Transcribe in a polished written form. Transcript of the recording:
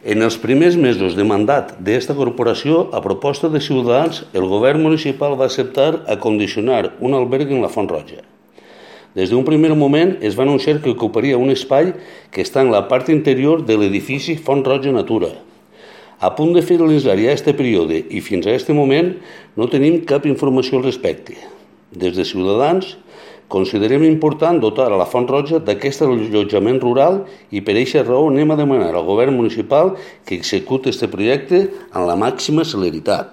En els primers mesos de mandat d'esta corporació, a proposta de Ciutadans, el govern municipal va acceptar acondicionar un alberg en la Font Roja. Des d'un primer moment es va anunciar que ocuparia un espai que està en la part interior de l'edifici Font Roja Natura. A punt de finalitzar ja aquest període i fins a aquest moment no tenim cap informació al respecte. Des de Ciutadans considerem important dotar a la Font Roja d'aquest allotjament rural i per aquesta raó anem a demanar al govern municipal que executi aquest projecte amb la màxima celeritat.